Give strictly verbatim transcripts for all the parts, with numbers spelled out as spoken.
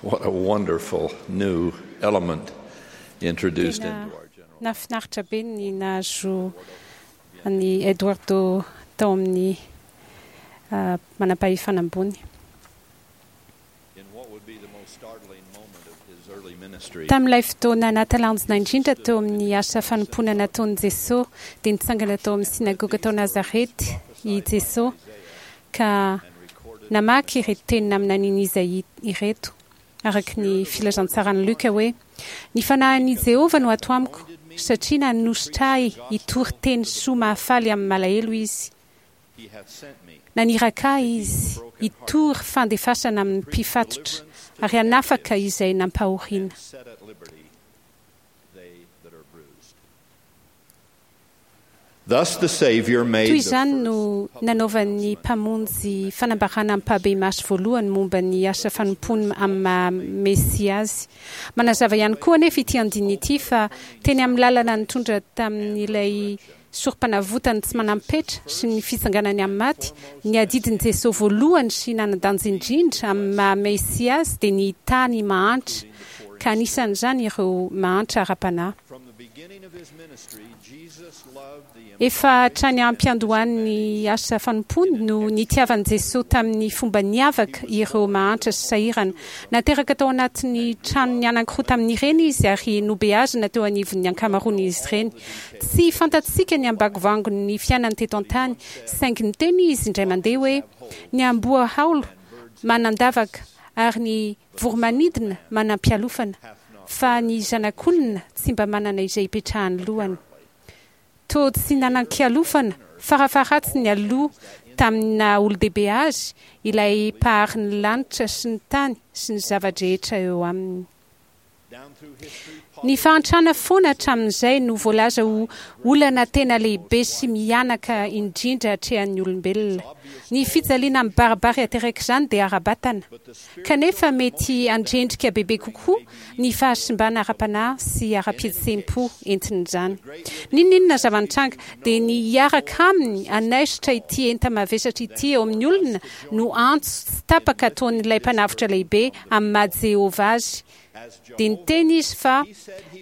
What a wonderful new element introduced Tena into our general. nahafinaritra be ny nahazo an'i Eduardo tao amin'ny ah, manam-pahefana ambony. In what would be the most startling moment of his early ministry, Tamin'ilay fotoana nahatalanjona indrindra teo amin'ny asa fanompoana nataon'i Jesosy, dia nitsangana tao amin'ny synagoga tao Nazarety i Jesosy ka namaky ireto teny naminanian'i Izaia ireto, araka ny filazantsaran'i Luka hoe: "Ny fanahin'i Jehovah no ato amiko, satria nanosotra ahy hitory teny soa mahafaly amin'ny malahelo izy. he hath sent me Naniraka ahy izy hitory fandefasana amin'ny mpifatotra ary hanafaka izay nampahoriana." and set at liberty they that are bruised. Thus the Savior made Toy the izany first no nanaovan'ny mpamonjy fanambarana ampahibemaso voalohany momba ny asa fanompoany amin'ny maha Mesia azy. Manazava ihany koa anefa ity andininy ity fa teny amin'ny lalana nitondra tamin'ilay sorom-panavotany tsy manam-petra sy ny fitsanganany amin'ny maty, ny adidin'i Jesosy voalohany sy nanan-danja indrindra amin'ny maha Mesia azy dia ny tany mahantra, ka anisan'izany ireo mahantra ara-panahy. From the beginning of his ministry, Jesus loved the Efa hatrany am-piandohan'ny asa fanompoany no nitiavan'i Jesosy tamin'ny fomba niavaka ireo mahantra sy sahirana. Nateraka tao anatin'ny tranony anankiroa tamin'ireny izy ary nobeazina teo anivon'ny ankamaroan'izy ireny. Tsy fantatsika ny ambangovangon'ny fiainany teto an-tany, saingy niteny izy indray mandeha hoe: "Ny amboa haolo manan-davaka ary ny voromanidina manam-pialofana, fa ny zanak'olona tsy mba manana izay hipetrahan'ny lohany." Toa tsy nanan-kialofana farafaharatsiny aloha tamin'ny naha olon-dehibe azy ilay mpahary ny lanitra sy ny tany sy ny zava-drehetra eo aminy. Down through history, Ny fahantrana foana hatramin'izay no voalaza ho olana tena lehibe sy mihanaka indrindra atrehan'ny olombelona. Ny fijaliana mibaribary aterak'izany dia ara-batana, kanefa mety handrendrika bebe kokoa ny fahasimbana ara-panahy sy ara-pihetseham-po entin'izany. N'inon'inona zava-nitranga dia ny hiaraka aminy hanaisotra ity enta-mavesatra ity eo amin'ny olona no antso tsy tapaka ataon'ilay mpanavotra lehibe amin'ny maha Jehovah azy. Dia niteny izy fa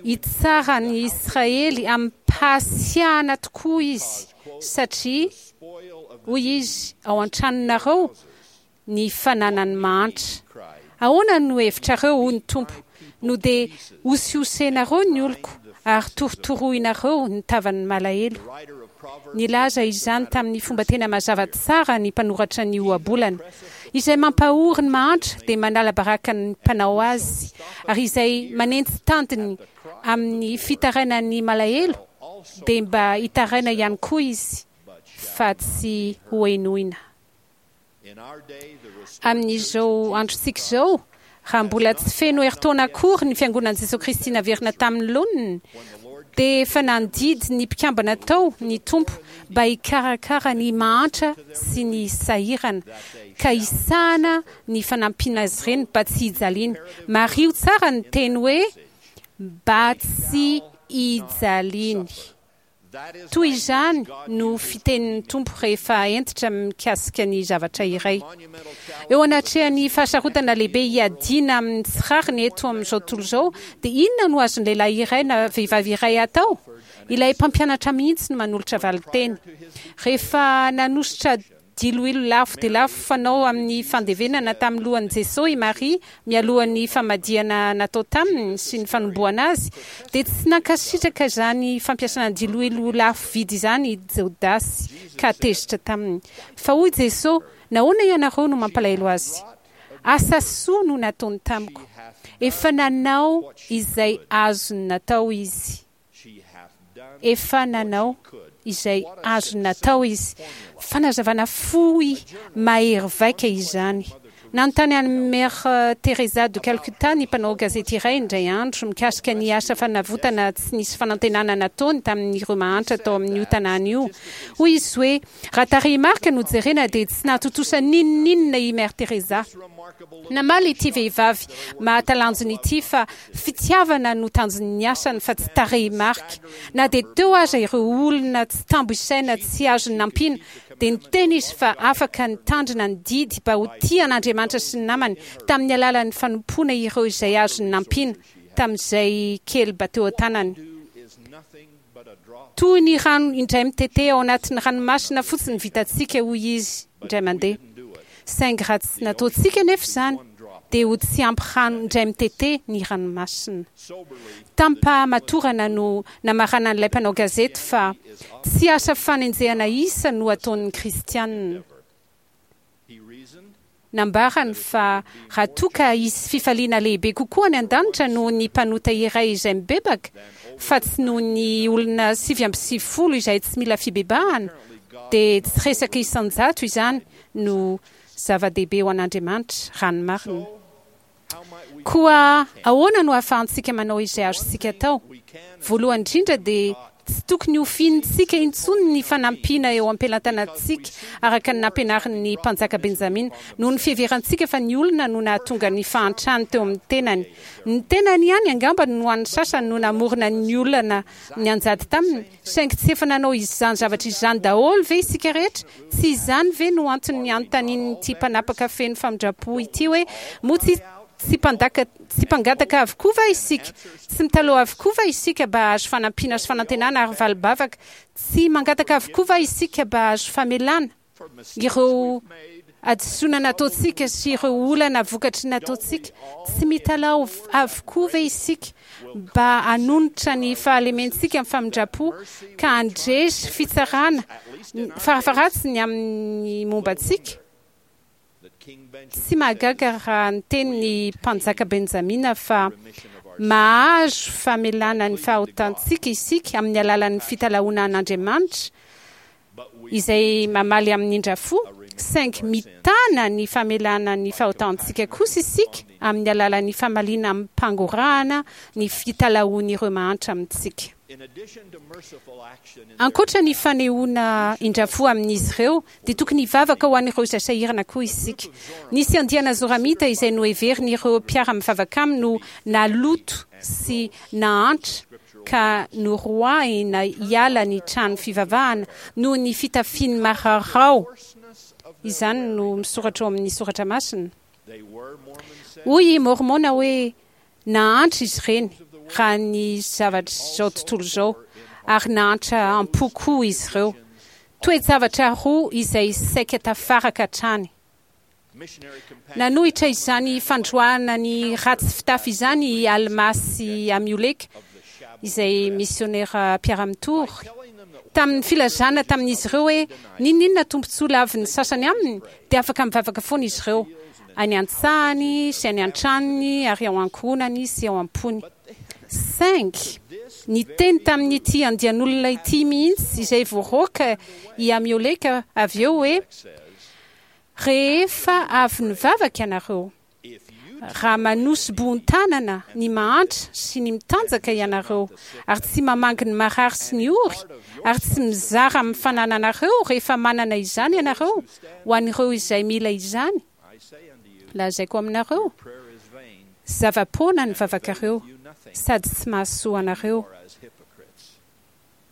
hitsara ny Israely amim-pahasiahana tokoa izy, satria spoil of hoy izy ao an-tranonareo ny fananany mahantra. Ahoana no hevitrareo, hoy ny Tompo, no dia hosihosenareo ny oloko ary torotoroinareo ny tavan'ny malahelo? writer of Proverbs Nilaza izany tamin'ny fomba tena mazava tsara ny mpanoratra ny ohabolana. Izay mampahory ny mahantra dia manala baraka ny mpanao azy, ary izay manenji-tandiny amin'ny fitarainan'ny malahelo dia mba hitaraina ihany koa izy, fa tsy hohenoina. in our day, the restored Amin'izao androntsika izao, raha mbola tsy feno herintaona akory ny fiangonan'i Jesosy Kristy naverina tamin'ny laoniny, dia efa nandidy ny mpikambana tao ny Tompo mba hikarakara ny mahantra sy ny sahirana, ka hisahana ny fanampiana azy ireny mba tsy hijaliany. Mariho tsara ny teny hoe mba tsy hijaliany. That is Toy izany no fitenin'ny Tompo rehefa hentitra mikasika ny zavatra iray. monumental challenge Eo anatrehan'ny fahasarotana lehibe hiadiana amin'ny tsy rariny eto amin'izao tontolo izao, dia inona no azon'ny lehilahy iray na vehivavy iray atao? Ilay mpampianatra mihitsy no manolotra valin-teny. Rehefa nanosotra diloilo lafo dia lafo fanao amin'ny fandevenana tamin'ny lohan'i Jesosy i Maria mialohan'ny famadihana natao taminy sy ny fanomboana azy, dia tsy nankasitraka izany fampiasana diloilo lafo vidy izany i Jodasy ka tezitra taminy. Fa hoy Jesosy: "Nahoana ianareo no mampalahelo azy? Asa soa no nataony tamiko. Efa nanao izay azony natao izy." she hath done Efa nanao izay azony natao izy. Fanazavana fohy mahery vaika izany. Nanontany an'i Mère Teresa de Calcutta ny mpanao gazety iray indray andro mikasika ny asa fanavotana tsy nisy fanantenana nataony tamin'ireo mahantra tao amin'io tanàna io. Hoy izy hoe raha tarehimarika no jerena dia tsy nahatontosa n'inon'inona i Mère Teresa. remarkable Namaly ity vehivavy mahatalanjona ity fa fitiavana no tanjon'ny asany fa tsy tarehimarika. Na dia teo aza ireo olona tsy tambo isaina tsy azony nampiana, dia niteny izy fa afaka nitandrina ny didy mba ho tia an'Andriamanitra sy ny namany tamin'ny alalan'ny fanompoana ireo izay azony nampiana tamin'izay kely mba teo an-tanany. Toy ny rano indray mitete ao anatin'ny ranomasina fotsiny vitantsika, hoy izy indray mandeha. Saingy raha tsy nataontsika anefa izany, dia ho tsy ampy rano indray mitete ny ranomasina. Tamim-pahamatorana no namaranan'ilay mpanao gazety fa tsy asa fanenjehana isa no ataon'ny Kristianina. Nambarany fa raha toa ka hisy fifaliana lehibe kokoa any an-danitra noho ny mpanota iray izay mibebaka, fa tsy noho ny olona sivy amby sivifolo izay tsy mila fibebahana, dia tsy resaka isan-jato izany no zava-dehibe ho an'Andriamanitra, raha ny marina. Koa ahoana no ahafahantsika manao izay azontsika atao? Voalohany indrindra dia tsy tokony hofihintsika intsony ny fanampiana eo am-pelantanantsika, araka ny nampianarin'ny Mpanjaka Benjamina, noho ny fiheverantsika fa ny olona no nahatonga ny fahantrany teo amin'ny tenany. Ny tenany ihany angamba no an'ny sasany no namorona ny olana nianjady taminy, saingy tsy efa nanao izany zavatra izany daholo ve isika rehetra? Tsy izany ve no antony anontanian'ity mpanapaka feno famindram-po ity hoe, Moa tsy tsy mpandaka tsy mpangataka avokoa va isika? Tsy mitalaho avokoa va isika mba hahazo fanampiana sy fanantenana ary valim-bavaka? Tsy mangataka avokoa va isika mba hahazo famelana ireo hadisoana nataontsika sy ireo olana vokatry ny nataontsika? Tsy mitalaho avokoa ve isika mba hanonitra ny fahalementsika amin'ny famindram-po ka handresy fitsarana farafaharatsiny amin'ny momba antsika? Tsy mahagaga raha niteny ny Mpanjaka Benjamina fa mahazo famelana ny fahotantsika isika amin'ny alalan'ny fitalahoana an'Andriamanitra izay mamaly amin'ny indra-fo, saingy mitana ny famelana ny fahotantsika kosa isika amin'ny alalan'ny famaliana amim-pangorahana ny fitalahoan'ireo mahantra amintsika. Ankoatra ny fanehoana indra-fo amin'izy ireo, dia tokony hivavaka ho an'ireo izay sahirana koa isika. Nisy andiana Zoramita izay noheverin'ireo mpiara-mivavaka aminy ho naloto sy nahantra ka noroahina hiala ny trano fivavahana noho ny fitafiany mararao. Izany no misoratra ao amin'ny soratra masina. Hoy i Môrmôna hoe, Nahantra izy ireny raha ny zavatr'izao tontolo izao, ary nahantra am-po koa izy ireo. Toe-javatra roa izay saika tafaraka hatrany. Nanohitra izany fandroahana ny ratsy fitafy izany i Almà sy Amioleka, izay misiônera mpiara-mitory, tamin'ny filazana tamin'izy ireo hoe n'inon'inona tombontsoa lavin'ny sasany aminy dia afaka mivavaka foana izy ireo, any an-tsahany sy any an-tranony ary ao ankohonany sy ao am-pony. Saingy niteny tamin'ity andian'olona ity mihitsy izay voaroaka i Amioleka avy eo hoe, Rehefa avy nivavaka ianareo, raha manosi-bohon-tanana ny mahantra sy ny mitanjaka ianareo, ary tsy mamangy ny marary sy ny ory, ary tsy mizara amin'ny fanananareo rehefa manana izany ianareo ho an'ireo izay mila izany, lazaiko aminareo, zava-poana ny vavakareo sady tsy mahasoa anareo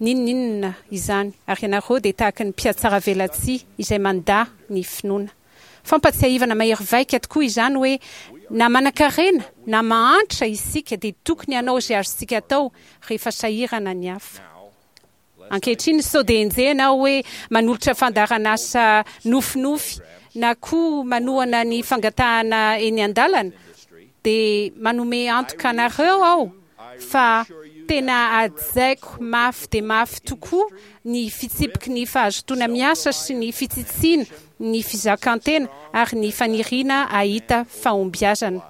n'inon'inona izany, ary ianareo dia tahaka ny mpihatsaravelatsihy izay mandà ny finoana. Fampatsiahivana mahery vaika tokoa izany hoe na manankarena na mahantra isika dia tokony hanao izay azontsika atao rehefa sahirana ny hafa. Ankehitriny sao dia enjehina aho hoe manolotra fandaharan'asa nofinofy na koa manohana ny fangatahana eny an-dalana, dia manome antoka anareo aho fa tena hajaiko mafy dia mafy tokoa ny fitsipiky ny fahazotoana miasa sy ny fitsitsiana ny fizakan-tena ary ny faniriana hahita fahombiazana.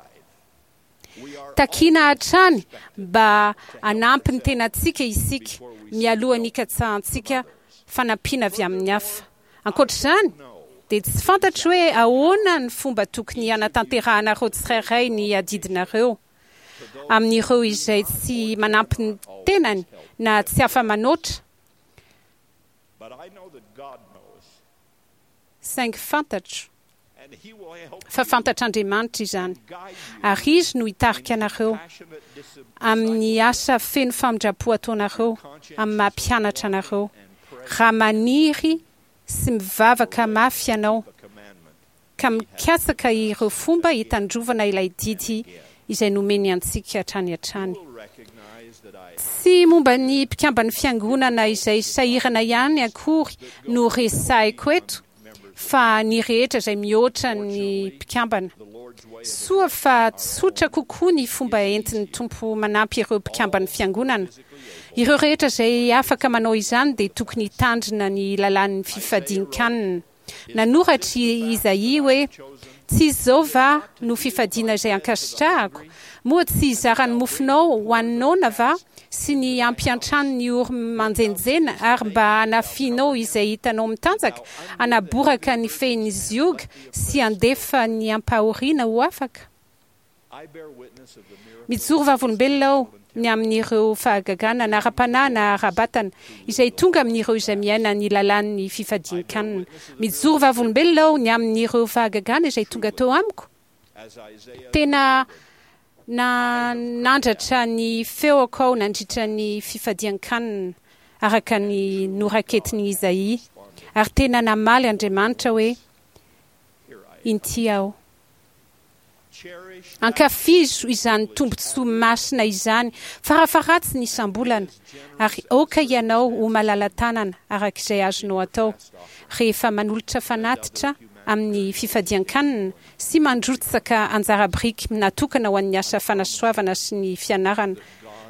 Takiana hatrany mba hanampy ny tenantsika isika mialohan'ny hikatsahantsika fanampiana avy amin'ny hafa. Ankoatra izany, dia tsy fantatro hoe ahoana ny fomba tokony hanatanterahanareo tsirairay ny adidinareo amin'ireo izay tsy manampy ny tenany na tsy afa-manoatra, saingy fantatro fa fantatr'Andriamanitra izany, ary Izy no hitarika anareo amin'ny asa feno famindram-po ataonareo amin'ny maha-mpianatra anareo, raha maniry sy mivavaka mafy ianao the commandment ka mikatsaka ireo fomba hitandrovana ilay didy izay nomeny antsika hatrany hatrany. will recognize that I Tsy momba ny mpikamban'ny fiangonana izay sahirana ihany akory no resahiko eto, fa ny rehetra izay mihoatra ny mpikambana. the Lord's way of Soa fa tsotra kokoa ny fomba entin'ny Tompo manampy ireo mpikamban'ny fiangonana. Ireo rehetra izay afaka manao izany dia tokony hitandrina ny lalàn'ny fifadian-kanina. Nanoratra i Izaia hoe: "Tsy izao va no fifadiana izay ankasitrahako? Moa tsy hizara ny mofonao ho an'ny noana va, sy ny hampiantrano ny ory manjenjena, ary mba hanafianao izay hitanao mitanjaka, hanaboraka ny fehin'ny zioga sy handefa ny ampahoriana ho afaka?" I bear witness of the miracle Mijoro vavolombelona aho ny amin'ireo fahagagana na ara-panahy na ara-batana izay tonga amin'ireo izay miaina ny lalàn'ny fifadian-kanina. Mijoro vavolombelona aho ny amin'ireo fahagagana izay tonga teo amiko. as Isaiah Tena nanandratra ny feoko aho nandritra ny fifadian-kanina araka ny noraketin'i Izaia, ary tena namaly Andriamanitra hoe: here I "Inty aho." cherish Ankafizo izany tombontsoa masina izany farafaharatsiny isam-bolana, ary aoka ianao ho malala-tanana araka izay azonao atao rehefa manolotra fanatitra amin'ny fifadian-kanina sy mandrotsaka anjara biriky natokana ho an'ny asa fanasoavana sy ny fianarana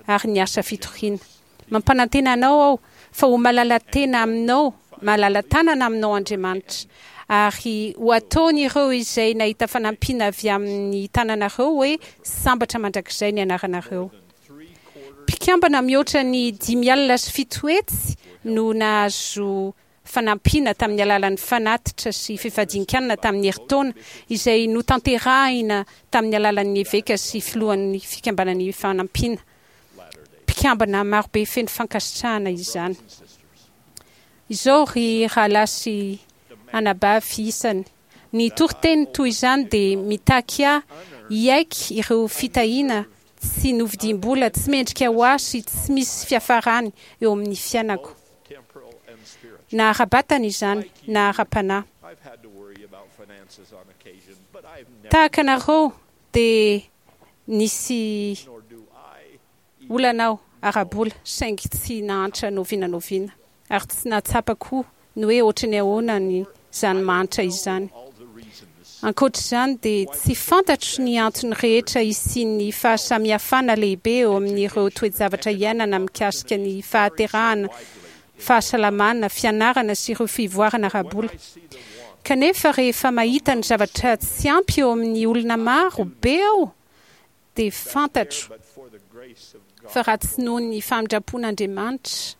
ary ny asa fitoriana. Mampanantena anao aho fa ho malala-tena aminao, malala-tanana aminao Andriamanitra, ary ho ataon'ireo izay nahita fanampiana avy amin'ny tananareo hoe sambatra mandrakizay ny anaranareo. three quarters Mpikambana mihoatra ny dimy alina sy fito hetsy no nahazo fanampiana tamin'ny alalan'ny fanatitra sy fifadian-kanina tamin'ny herintaona izay notanterahina tamin'ny alalan'ny eveka sy filohan'ny fikambanan'ny fanampiana. Latter-day Mpikambana marobe feno fankasitrahana izany. and sisters. Izao ry rahalahy sy anabavy isany, ny toriteny toy izany dia mitaky ahy hiaiky ireo fitahiana tsy novidiam-bola, tsy mendrika ho ahy sy tsy misy fiafarany eo amin'ny fiainako. both temporal and spiritual. Na ara-batana izany, na ara-panahy. I've had to worry about finances on occasion, but I've never Tahaka anareo dia nisy nor do I olana aho ara-bola, saingy tsy nahantra n'oviana n'oviana, ary tsy nahatsapa koa ny hoe ohatran'ny ahoana ny izany mahantra izany. all the reasons Ankoatra izany dia tsy fantatro ny antony rehetra hisian'ny fahasamihafana lehibe eo amin'ireo toe-javatra iainana mikasika ny fahaterahana, fahasalamana, fianarana sy ireo fivoarana ara-bola. I see the want Kanefa rehefa mahita ny zavatra tsy ampy eo amin'ny olona maro be aho, dia fantatro but for the grace of God. fa raha tsy noho ny famindram-pon'Andriamanitra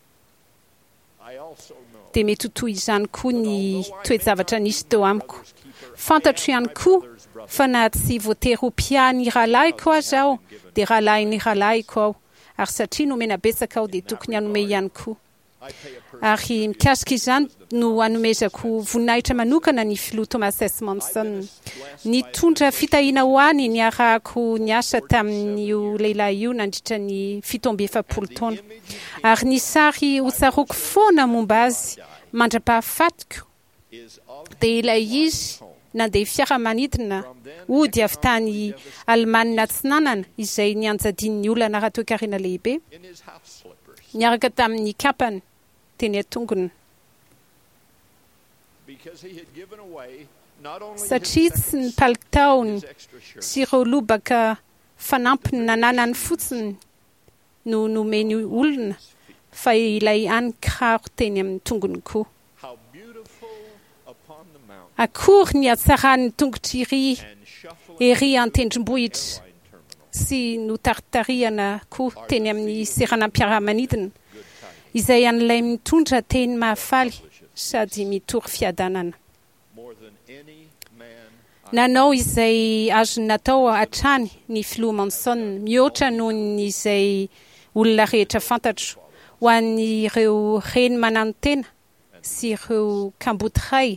I also know dia mety ho toy izany koa ny toe-javatra nisy teo amiko. brother's keeper Fantatro ihany koa fa na tsy voatery ho mpiahy ny rahalahiko aza aho, dia rahalahin'ny rahalahiko aho, ary satria nomena betsaka aho dia tokony hanome ihany koa. I pay a personal Ary mikasika izany no hanomezako voninahitra manokana ny filoha Thomas S. Monson. Nitondra fitahiana ho ahy ny niarahako niasa tamin'io lehilahy io nandritra ny fito amby efapolo taona. Ary ny sary hotsaroako foana momba azy mandra-pahafatiko is of dia ilay izy nandeha fiaramanidina hody avy tany Alemana Atsinanana izay nianjadian'ny olana ara-toekarena lehibe in his house slippers niaraka tamin'ny kapany teny an-tongony because he had given away not only his satria tsy second ny palitaony his extra shirt sy ireo lobaka fanampiny nananany fotsiny no nomeny olona fa ilay hany kiraro teny amin'ny tongony koa. how beautiful upon the mountain Akory ny hatsaran'ny tongotra iry and shuffling ery an-tendrombohitra airline terminal sy notaritarihana koa teny amin'ny seranam-piaramanidina good tidings izay an'ilay mitondra teny mahafaly sady mitory fiadanana. more than any man I Nanao izay azony natao hatrany ny filoha Monson mihoatra noho ny izay olona rehetra fantatro ho an'ireo reny mananotena sy ireo kamboty ray,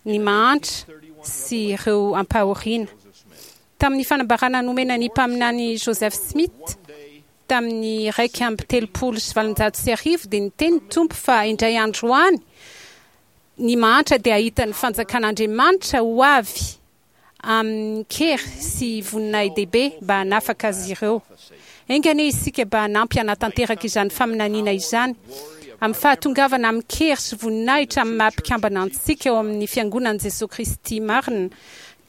ny mahantra sy ireo ampahoriana. Joseph Smith Tamin'ny fanambarana nomena ny mpaminany Joseph Smith one day tamin'ny raika amby telopolo sy valonjato sy arivo dia niteny ny Tompo fa indray andro any Ny mahantra dia hahita ny fanjakan'Andriamanitra ho avy amin-kery sy voninahi-dehibe mba hanafaka azy ireo. Enga anie isika mba hanampy hanatanteraka izany faminaniana izany amin'ny fahatongavana amin-kery sy voninahitra amin'ny maha-mpikambana antsika ao amin'ny Fiangonan'i Jesoa Kristy marina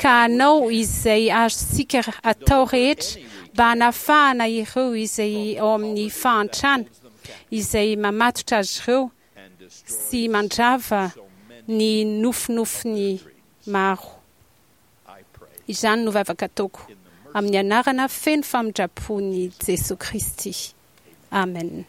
ka hanao izay azontsika atao rehetra mba hanafahana ireo izay ao amin'ny fahantrana izay mamatotra azy ireo and destroys sy mandrava so many. ny nofinofiny maro. I pray Izany no vavaka ataoko in the mercy amin'ny anarana feno famindram-pon'i Jesoa Kristy. Amen.